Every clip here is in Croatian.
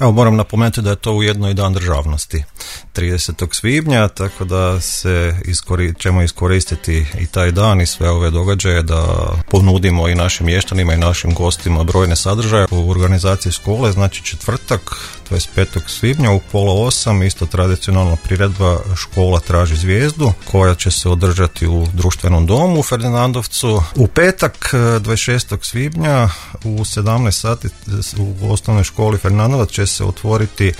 Evo, moram napomenuti da je to ujedno i dan državnosti 30. svibnja, tako da ćemo iskoristiti i taj dan i sve ove događaje da ponudimo i našim mještanima i našim gostima brojne sadržaje u organizaciji škole. Znači četvrtak 25. svibnja u 7:30 isto tradicionalna priredba Škola traži zvijezdu koja će se održati u društvenom domu u Ferdinandovcu. U petak 26. svibnja u 17 sati u osnovnoj školi Ferdinandovac će se otvoriti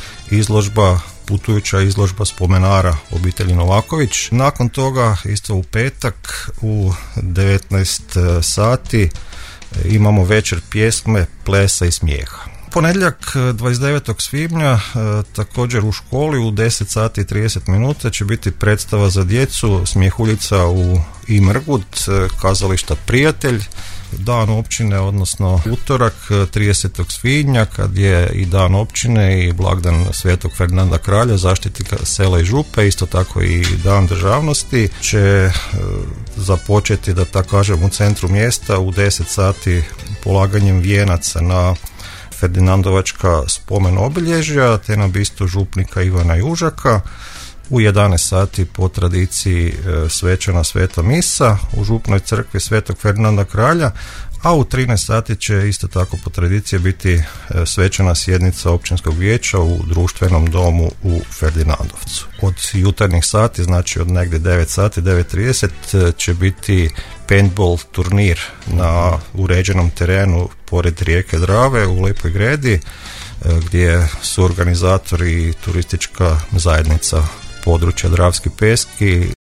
putujuća izložba spomenara obitelji Novaković. Nakon toga isto u petak u 19 sati imamo večer pjesme, plesa i smijeha. Ponedjeljak 29. svibnja također u školi u 10 sati i 30 minuta će biti predstava za djecu Smjehuljica u Imrgut kazališta Prijatelj. Dan općine, odnosno utorak 30. svibnja kad je i dan općine i blagdan Svetog Ferdinanda Kralja, zaštitnika sela i župe, isto tako i dan državnosti, će započeti, da tako kažem, u centru mjesta u 10 sati polaganjem vijenaca na Ferdinandovačka spomen obilježja te na bistu župnika Ivana Južaka. U 11 sati po tradiciji svečana sveta misa u župnoj crkvi Svetog Ferdinanda Kralja, a u 13 sati će isto tako po tradiciji biti svečana sjednica općinskog vijeća u društvenom domu u Ferdinandovcu. Od jutarnjih sati, znači od negdje 9 sati, 9:30 će biti paintball turnir na uređenom terenu pored rijeke Drave u Lepoj Gredi, gdje su organizatori i turistička zajednica područja Dravski Peski.